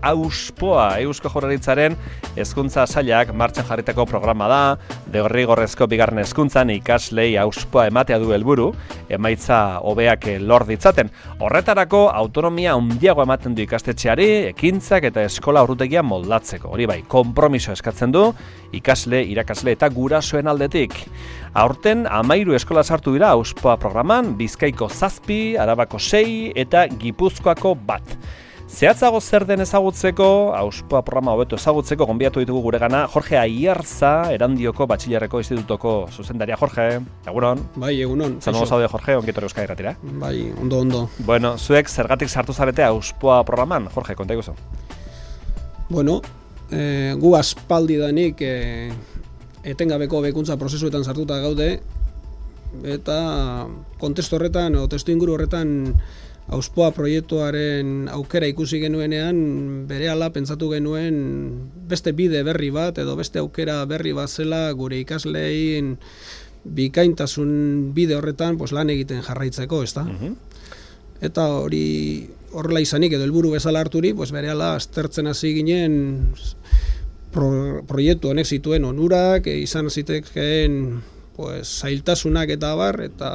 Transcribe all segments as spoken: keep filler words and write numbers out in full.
Auspoa, Eusko Jaurlaritzaren hezkuntza sailak martxan jarritako programa da, derrigorrezko bigarren hezkuntzan ikaslei auspoa ematea du helburu, emaitza hobeak lor ditzaten. Horretarako autonomia handiago ematen du ikastetxeari, ekintzak eta eskola ordutegia moldatzeko. Hori bai, konpromiso eskatzen du ikasle, irakasle eta gurasoen aldetik. Aurten hamairu eskola sartu dira Auspoa programan, Bizkaiko zazpi, Arabako sei eta Gipuzkoako bat. Zehatzago zer den ezagutzeko, Auspoa programa hobeto ezagutzeko, gonbidatu ditugu guregana Jorge Aierza, Erandioko Batxilerreko Institutoko zuzendaria. Jorge, egunon. Bai, egunon. Zango zaude, Jorge, ongitor Euskadi Irratira. Bai, ondo, ondo. Bueno, zuek zergatik sartu zarete Auspoa programan, Jorge, konta iguzu. Bueno, eh, gu aspaldi danik eh, etengabeko hobekuntza prozesuetan sartuta gaude, eta kontestu horretan, o testu inguru horretan, Auspoa proiektuaren aukera ikusi genuenean, berehala pentsatu genuen beste bide berri bat, edo beste aukera berri bat zela gure ikaslein bikaintasun bide horretan pues, lan egiten jarraitzeko, ezta? Uh-huh. Eta hori horrela izanik edo helburu bezala harturi, pues berehala aztertzen hasi ginen pro, proiektu honek zituen onurak, e, izan zitekeen pues, zailtasunak eta abar, eta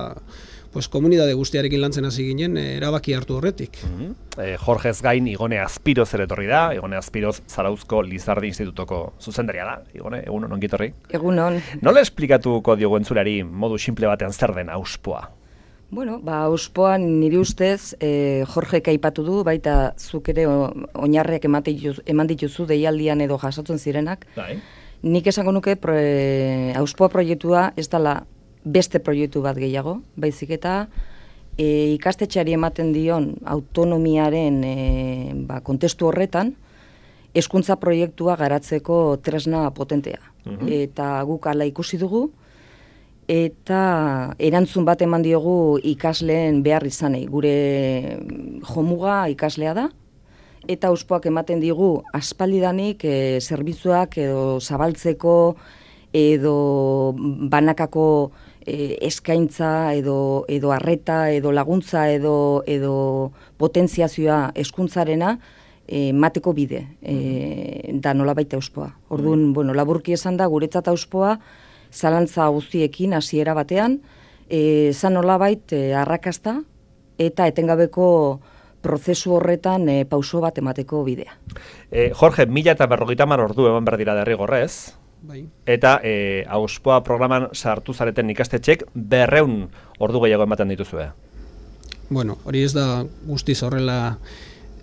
pues, komunitate guztiarekin lantzen hasi ginen e, erabaki hartu horretik. Uh-huh. eh, Jorgez gain Igone Azpiroz ere etorri da, Igone Azpiroz Zarauzko Lizardi Institutoko zuzendaria da. Igone, egunon ongi etorri. Egunon. Nola esplikatuko diogu entzulari modu simple batean zer den Auspoa? Bueno, ba, Auspoan niri ustez, eh, Jorgek aipatu du, baita zuk ere oinarriak eman dituzu deialdian edo jasotzen zirenak. Dai. Nik esango nuke pro, e, Auspoa proiektua ez dela beste proiektu bat gehiago, baizik eta e, ikastetxeari ematen dion autonomiaren e, ba, kontestu horretan, hezkuntza proiektua garatzeko tresna potentea. Uh-huh. Eta guk hala ikusi dugu, eta erantzun bat eman diogu ikasleen behar izanei. Gure jomuga ikaslea da, eta Auspoak ematen digu aspaldidanik e, zerbitzuak edo zabaltzeko edo banakako e, eskaintza edo, edo arreta edo laguntza edo, edo potentziazioa hezkuntzarena emateko bide, e, da nola baita Auspoa. Orduan, bueno, laburki esan da, guretzat Auspoa, zalantza guztiekin hasiera batean, e, zan nolabait e, arrakasta eta etengabeko prozesu horretan e, pauso bat emateko bidea. E, Jorge, mila eta berrogeita hamar ordu eman behar dira derrigorrez, bai. Eta e, Auspoa programan sartu zareten ikastetxek berreun ordu gehiago ematen dituzue. Bueno, hori ez da guztiz horrela.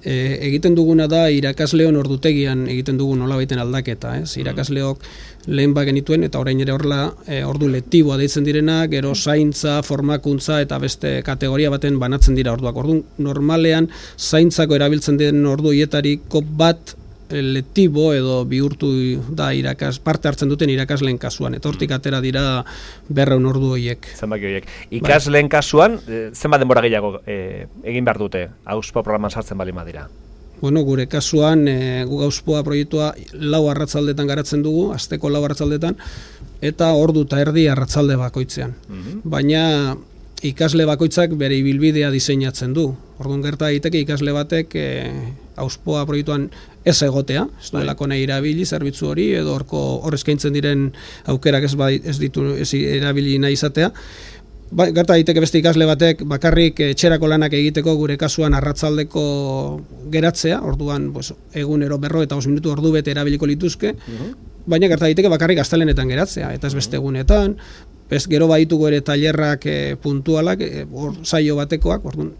E, egiten duguna da irakasleon ordutegian egiten dugu nolabaiten aldaketa, ez? Irakasleok lehen ba genituen eta orain ere horrela e, ordu lektiboa deitzen direnak, gero zaintza, formakuntza eta beste kategoria baten banatzen dira orduak. Orduan normalean zaintzako erabiltzen den ordu hietariko bat e, lektibo edo bihurtu da irakas, parte hartzen duten irakasleen kasuan. Eta hortik atera dira berreun ordu horiek. Zenbaki horiek. Ikasleen kasuan, zenbat denbora gehiago e, egin behar dute Auspoa programan sartzen bali madira? Bueno, gure kasuan, e, gu Auspoa proiektua lau arratzaldetan garatzen dugu, asteko lau arratzaldetan, eta ordu eta erdi arratzalde bakoitzean. Uh-huh. Baina ikasle bakoitzak bere ibilbidea diseinatzen du. Orduan gerta daiteke ikasle batek e, Auspoa proiektuan ez egotea, ez duelako nahi erabili zerbitzu hori, edo horko hor eskaintzen diren aukerak ez, bai, ez ditu ez erabili nahi izatea. Ba, gerta daiteke beste ikasle batek bakarrik etxerako lanak egiteko gure kasuan arratzaldeko geratzea, orduan pues, egunero berro eta bost minutu ordu bete erabiliko lituzke, uh-huh. Baina gerta daiteke bakarrik astelehenetan geratzea, eta ez beste egunetan, ez gero baditugu ere tailerrak e, puntualak, e, or, saio batekoak, orduan,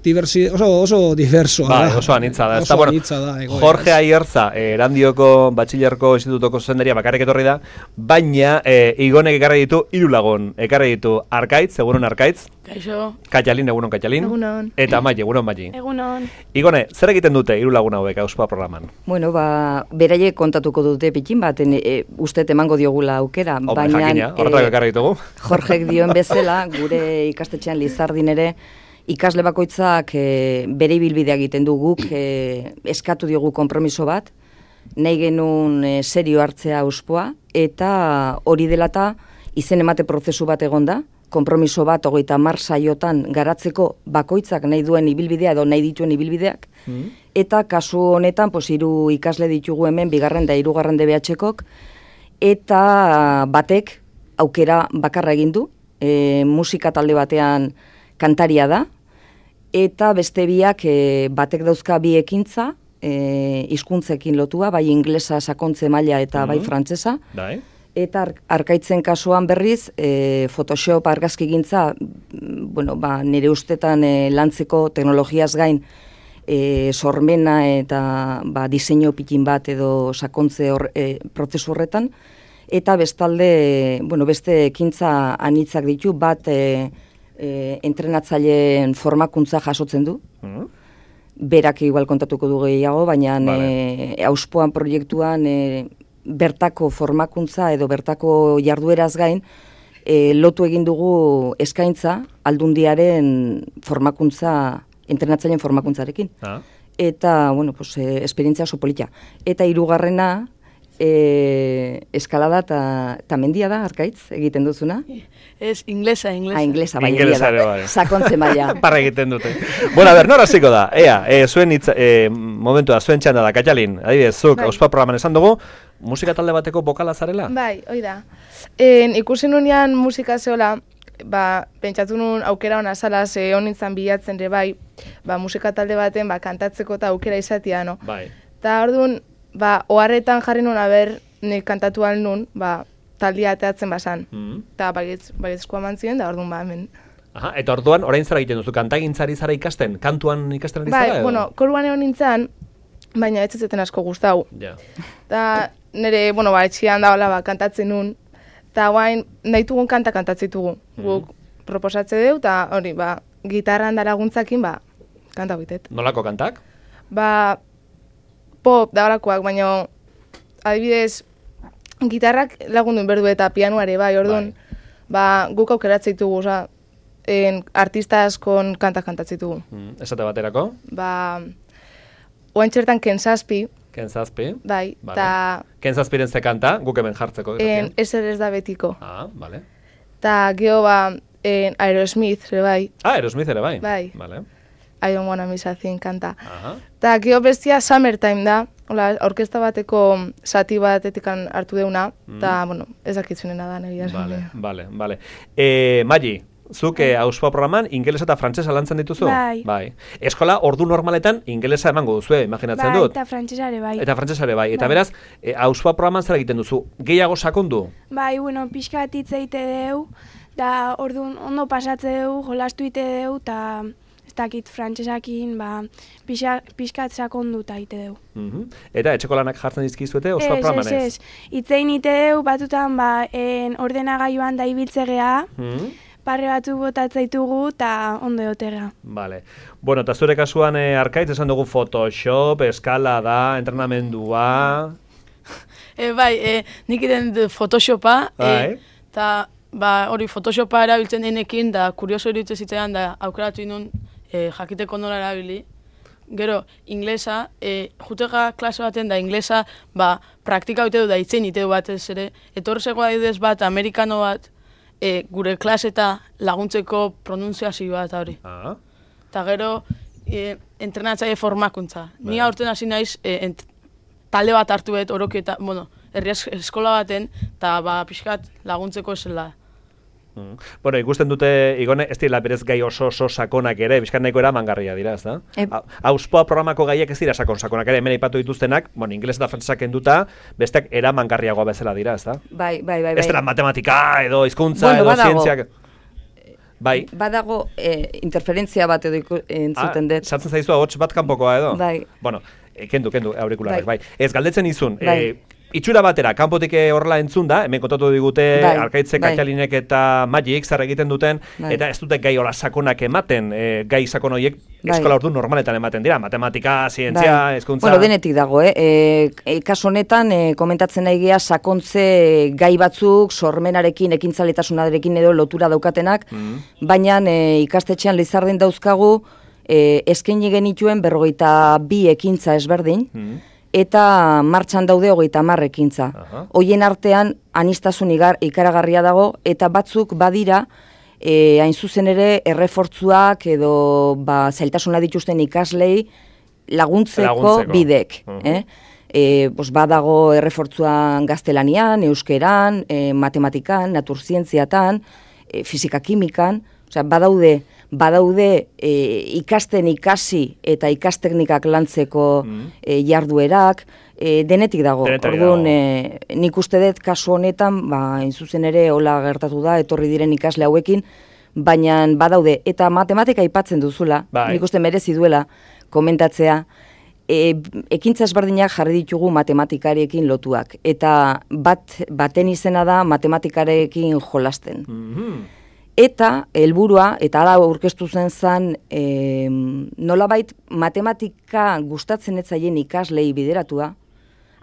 diversi, oso, oso diversoa ba, da. Oso anitza da. Oso bueno, anitza da. Egoeraz. Jorge Aierza, eh, Erandioko Batxilerko Institutoko zuzendaria bakarrik etorri da, baina eh, Igonek ekarri ditu hiru lagun. Ekarri ditu Arkaitz, egunon Arkaitz. Kaixo. Kaialin, egunon Kaialin. Egunon. Eta Mai, egunon Mai. Egunon. Igone, zer egiten dute hiru lagun hauek Auspoa programan? Bueno, ba, beraiek kontatuko dute pikin bat, e, uste emango diogula aukera, Hombre, baina jakina, horretak ekarri ditugu. Jorgek dioen bezala, gure ikastetxean Lizardin ere, ikasle bakoitzak e, bere ibilbidea egiten du guk, e, eskatu diogu konpromiso bat, nahi genuen e, serio hartzea Auspoa, eta hori delata izen emate prozesu bat egonda, konpromiso bat hogeita hamar saiotan garatzeko bakoitzak nahi duen ibilbidea edo nahi dituen ibilbideak, mm. eta kasu honetan pos, hiru ikasle ditugu hemen, bigarren da hirugarren D B H-kok, eta batek aukera bakarra egin du, e, musika talde batean kantaria da, eta beste biak e, batek dauzka bi ekintza, e, hizkuntzekin lotua, bai inglesa sakontze maila eta bai Mm. frantsesa. Bai. Eta ar- arkaitzen kasuan berriz, e, Photoshop argazkigintza, mm, bueno, ba, nire ustetan e, lantzeko teknologiaz gain, e, sormena eta ba, diseinu pikin bat edo sakontze hor, e, prozesu horretan, eta bestalde, bueno, beste ekintza anitzak ditu, bat e, e, entrenatzaileen formakuntza jasotzen du, Mm. berak igual kontatuko du gehiago, baina Vale. e, auspoan proiektuan e, bertako formakuntza edo bertako jardueraz gain, e, lotu egin dugu eskaintza aldundiaren formakuntza, entrenatzaileen formakuntzarekin. Ah. Eta, bueno, pues, e, esperientzia oso polita. Eta hirugarrena, e, eskalada eta mendia da, Arkaitz, egiten duzuna? Ez, inglesa, inglesa. Ah, inglesa, bai, Ingelesa egia ere, da. bai. Sakontze maila. Parra egiten dute. Bueno, a ber, nora hasiko da? Ea, e, zuen hitz, e, momentua, zuen txanda da, Katalin, adibidez, zuk, Bai. auspa programan esan dugu, musika talde bateko bokala zarela? Bai, hoi da. En, ikusi nunean musika zeola, ba, pentsatu nun aukera hona zala, ze honintzan bilatzen ere bai, ba, musika talde baten ba, kantatzeko eta aukera izatea, no? Bai. Eta orduan, ba, oharretan jarri nun, aber, nik kantatu ahal nun, ba, taldia ateatzen basan. Mm. Eta baietz, baietz eman ziren, da orduan, ba, hemen. Aha, eta orduan, orain zara egiten duzu, kantagintzari zara ikasten, kantuan ikasten ari zara? Bai, edo? bueno, koruan egon nintzen, baina ez zeten asko gustau. Ja. Eta nire, bueno, ba, etxian da, hola, ba, kantatzen nun, eta guain, nahi dugun kanta kantatzitugu. Guk proposatze deu, eta hori, ba, gitarran da laguntzakin, ba, kanta bitet. Nolako kantak? Ba, pop da horakoak, baina adibidez, gitarrak lagundu berdu eta pianuare, bai, orduan, ba, guk aukeratzen ditugu, oza, en, artista askon kanta kantatzitugu. Mm, esate baterako? Ba, oain txertan Ken Zazpi, Ken Zazpi? bai, Vale. eta Ken Zazpiren ze kanta, guk hemen jartzeko. en, irratian. ezer ez da betiko. Ah, vale. Eta geho, ba, en, Aerosmith, ere bai, Ah, Aerosmith ere bai? Bai. Vale. I don't wanna miss a thing kanta. Aha. Eta geho bestia Summertime da, hola, orkesta bateko zati batetikan hartu deuna, eta, bueno, ez dakitzunena da, negia esan. Vale, vale, vale. Eh, Magi, zuk eh, auspoa programan ingelesa eta frantsesa lantzen dituzu? Bai. Bai. Eskola ordu normaletan ingelesa emango duzue, imaginatzen Bai, dut. eta frantsesare bai. Eta frantsesa ere bai. Eta Bai. beraz, eh, auspoa programan zer egiten duzu? Gehiago sakondu? Bai, bueno, pixka bat hitz egite deu, da orduan ondo pasatze deu, jolastu ite deu, eta ez dakit frantsesakin, ba, pixa, pixka bat sakondu eta ite deu. Mhm. Eta etxeko lanak jartzen dizkizuete auspoa Ez, programan ez, ez? ez. Itzein ite deu, batutan, ba, en ordenagailuan da ibiltzegea, Mhm. parre batzuk botatzen ditugu, eta ondo egotegea. Vale. Bueno, eta zure kasuan eh, Arkaitz esan dugu Photoshop, eskalada, entrenamendua... E, bai, e, nik iten dut Photoshopa, Bai. eta ba, hori Photoshopa erabiltzen denekin, da kurioso iruditzen zitzaidan, da aukeratu inun e, jakiteko nola erabili. Gero, inglesa, e, jutega klase baten da inglesa, ba, praktika ite du da itzen ite du batez ere. Etorrezeko adibidez bat, amerikano bat, e, gure klase eta laguntzeko pronunziazioa eta hori. Ah. Eta gero, e, entrenatzaile formakuntza. Ni Bai. aurten hasi naiz, e, ent, talde bat hartu bet, oroki eta, bueno, herri es- eskola baten, eta ba, pixkat laguntzeko esela. Mm. Bueno, ikusten dute, Igone, ez dira berez gai oso oso sakonak ere, bizkan nahiko eramangarria dira, ez da? Ep. Ha- Auspoa programako gaiak ez dira sakon sakonak ere, hemen aipatu dituztenak, bueno, ingeles eta frantsesak kenduta, besteak eramangarriagoa bezala dira, ez da? Bai, bai, bai. bai. Ez dira matematika, edo hizkuntza, Bueno, edo badago. zientziak... Bai. Badago eh, interferentzia bat edo iku- entzuten Ah, dut. sartzen zaizu ahots bat kanpokoa edo? Bai. Bueno, eh, kendu, kendu, aurikularrak, bai. Bai. Ez, galdetzen izun, Bai. eh, itxura batera, kanpotik eh, horrela entzun da, hemen kontatu digute, Bai, Arkaitze, bai. Katalinek eta Magic zer egiten duten, Bai. eta ez dute gai hola sakonak ematen, eh, gai sakon horiek Bai. eskola ordu normaletan ematen dira, matematika, zientzia, Bai. hezkuntza... Bueno, denetik dago, eh? E, e, kasu honetan, e, komentatzen nahi gea, sakontze gai batzuk, sormenarekin, ekintzalitasunarekin edo lotura daukatenak, Mm. baina e, ikastetxean Lizarden dauzkagu, e, eskaini genituen berrogeita bi ekintza ezberdin, Mm. eta martxan daude hogeita hamar ekintza. Aha. Hoien artean, anistasun igar, ikaragarria dago, eta batzuk badira, e, hain zuzen ere errefortzuak edo ba, zailtasuna dituzten ikaslei laguntzeko, Laguntzeko. bidek. Mhm. eh? E, bos, badago errefortzuan gaztelanian, euskeran, e, matematikan, naturzientziatan, e, fizika-kimikan, osea, badaude, badaude e, ikasten ikasi eta ikasteknikak lantzeko e, jarduerak, e, denetik dago. Denetik Orduan, dago. e, nik uste dut kasu honetan, ba, hain zuzen ere hola gertatu da, etorri diren ikasle hauekin, baina badaude, eta matematika aipatzen duzula, Bai. nik uste merezi duela komentatzea, e, ekintza ezberdinak jarri ditugu matematikarekin lotuak, eta bat baten izena da matematikarekin jolasten. Mhm. Eta helburua, eta hala aurkeztu zen zan, e, nolabait matematika gustatzen ez zaien ikaslei bideratua,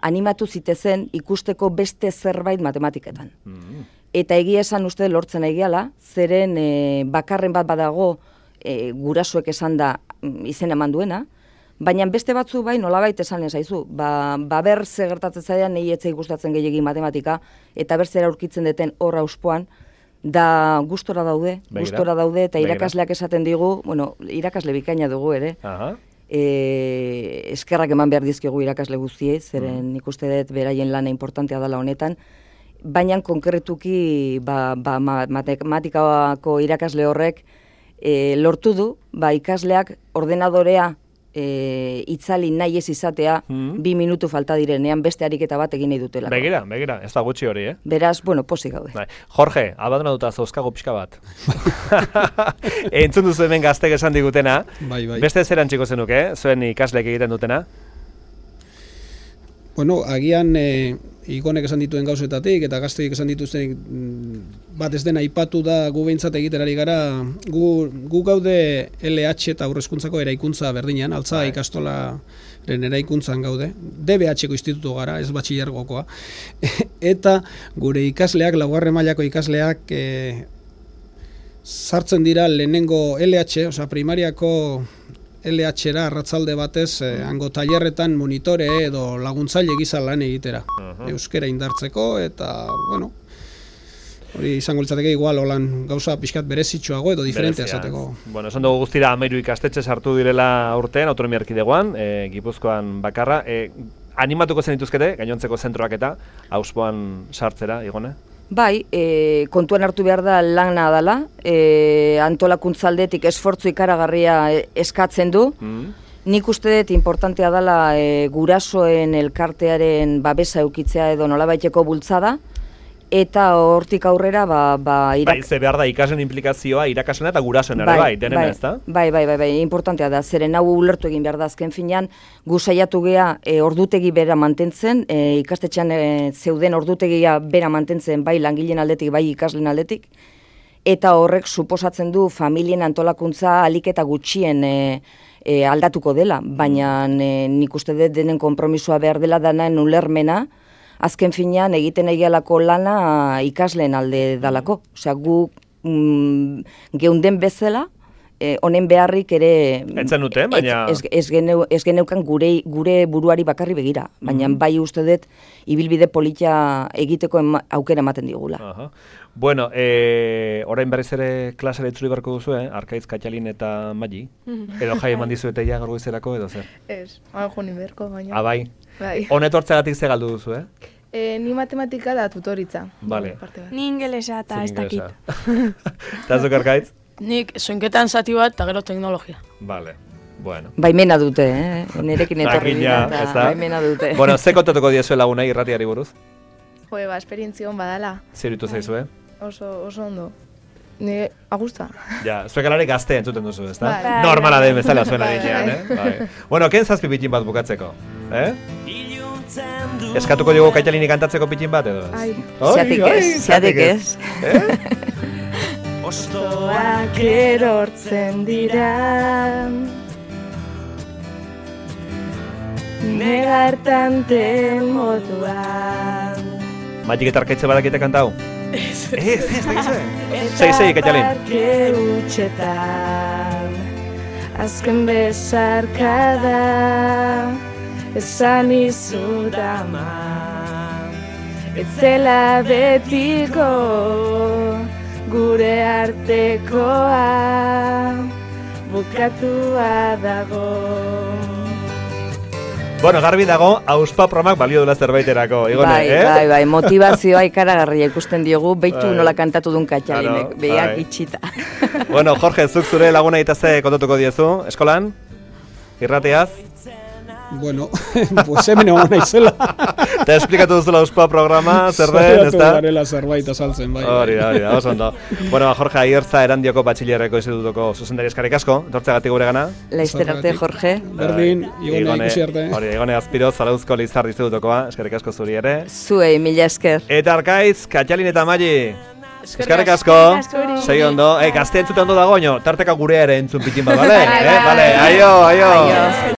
animatu zitezen ikusteko beste zerbait matematiketan. Mhm. Eta egia esan uste lortzen egiala, zeren e, bakarren bat badago e, gurasoek esan da mm, izen eman duena, baina beste batzu bai nolabait esan ezaizu, ba, ba ber ze gertatzen zaidan nahi etzei gustatzen gehiegi matematika, eta ber zera aurkitzen deten horra auspoan, da gustora daude, Begira. gustora daude, eta Begira. irakasleak esaten digu, bueno, irakasle bikaina dugu ere, Aha. e, eskerrak eman behar dizkigu irakasle guztiei, zeren nik uste dut beraien lana importantea dela honetan, baina konkretuki ba, ba, ma- matematikako irakasle horrek e, lortu du, ba, ikasleak ordenadorea e, itzali nahi ez izatea, Mhm. bi minutu falta direnean beste ariketa bat egin nahi dutela. Begira, begira, ez da gutxi hori, eh? Beraz, bueno, pozik gaude. Bai. Jorge, abandonatuta zauzkago pixka bat. Entzun duzu hemen gaztek esan digutena. Bai, bai. Beste zeran txiko zenuke, zuen ikasleek egiten dutena? Bueno, agian e, igonek esan dituen gauzetatik eta gazteik esan dituzten mm, bat ez dena aipatu da gu behintzat egiten ari gara, gu, gu gaude L H eta aurrezkuntzako eraikuntza berdinean, altza Bai. ikastolaren eraikuntzan gaude, D B H-ko institutu gara, ez batxilergokoa, eta gure ikasleak, laugarren mailako ikasleak e, sartzen dira lehenengo L H, osea primariako L H-era arratzalde batez, eh, hango tailerretan monitore edo laguntzaile gisa lan egitera. Euskera indartzeko eta, bueno, hori izango litzateke igual holan gauza pixkat berezitsuago edo diferentea Berezia. esateko. Bueno, esan dugu guztira hamairu ikastetxe sartu direla urtean, autonomia erkidegoan, e, Gipuzkoan bakarra. E, animatuko zen dituzkete, gainontzeko zentroak eta, auspoan sartzera, Igone? Bai, e, kontuan hartu behar da lana dela, e, antolakuntzaldetik esfortzu ikaragarria e, eskatzen du. Mm. Nik uste dut importantea dela e, gurasoen elkartearen babesa eukitzea edo nolabaiteko bultzada, eta hortik aurrera ba, ba, irak... Bai, ze behar da ikasleen implikazioa irakasena eta gurasoen ere bai, denena bai, ez da? Bai, bai, bai, bai, importantea da, zeren hau ulertu egin behar da azken finean, gu saiatu gea e, ordutegi bera mantentzen, e, ikastetxean e, zeuden ordutegia bera mantentzen bai langileen aldetik, bai ikasleen aldetik, eta horrek suposatzen du familien antolakuntza alik eta gutxien e, e, aldatuko dela, baina e, nik uste dut denen konpromisoa behar dela danaen ulermena, azken finean egiten egialako lana ikasleen alde dalako. Osea, gu mm, geunden bezala, eh, honen beharrik ere... Etzen dute, baina- Ez, ez, geneu, ez geneukan gure, gure buruari bakarri begira, baina bai uste dut ibilbide polita egiteko ema, aukera ematen digula. Aha. Bueno, e, orain berriz ere klasera itzuli beharko duzu, eh? Arkaitz, Katxalin eta Magi. Edo jai eman dizuete ja gaur goizerako, edo zer? Ez, hain joni berko, baina. Ah, bai. Bai. Honetortzegatik ze galdu duzu, eh? E, ni matematika da tutoritza. Vale. Parte bat. Ni ingelesa eta ez dakit. Eta zuk Arkaitz? Nik soinketan zati bat eta gero teknologia. Vale. Bueno. Baimena dute, eh? Nerekin etorri dira, Jakina, ez eta da? baimena dute. Bueno, ze kontatuko diezue lagunei irratiari buruz? Jo, ba, esperientzion badala. Zer ditu zaizu, eh? Oso, oso ondo. Ni agusta. Ja, zuek alare gazte entzuten duzu, ez da? Bai. Normala den bezala zuen Bai, adinean, bai. eh? Bai. Bueno, ken zazpi pitin bat bukatzeko, eh? Eskatuko diogu Kaitalinik kantatzeko pitin bat, edo ez? Ai. Zeatik ez, zeatik ez. Ostoak erortzen dira negartanten moduan. Magik eta Arkaitze badakite kantau? Ez, ez, ez, ez, sei, sei, Kaitalin. Parke hutsetan azken besarkada esan izut ama ez zela betiko gure artekoa bukatua dago. Bueno, garbi dago, auspa promak balio dula zerbaiterako, Igone, bai, eh? Bai, bai, motivazioa ikaragarria ikusten diogu, beitu nola kantatu duen Katxalinek, Claro, behiak bai. itxita. Bueno, Jorge, zuk zure laguna itaze kontatuko diezu, eskolan? Irratiaz? Bueno, pues hemen egon naizela. Eta esplikatu duzula auspa programa, zer den, ez Saiatu da? garela zerbait azaltzen, bai. Hori da, hori da, oso ondo. Bueno, Jorge Aiertza Erandioko Batxilerreko institutuko zuzendari eskarrik asko, etortzeagatik gure gana. Laizter arte, Jorge. Berdin, Igone ikusi arte. Hori, Igone Azpiro, Zarauzko Lizar institutukoa, eskarrik asko zuri ere. Zuei, mila esker. Eta Arkaitz, Katxalin eta Mali. Eskarrik asko, segi ondo. Eh, gazte entzute ondo dago, oino, tarteka gurea ere entzun pitin bat, bale? Eh, bale, aio, aio.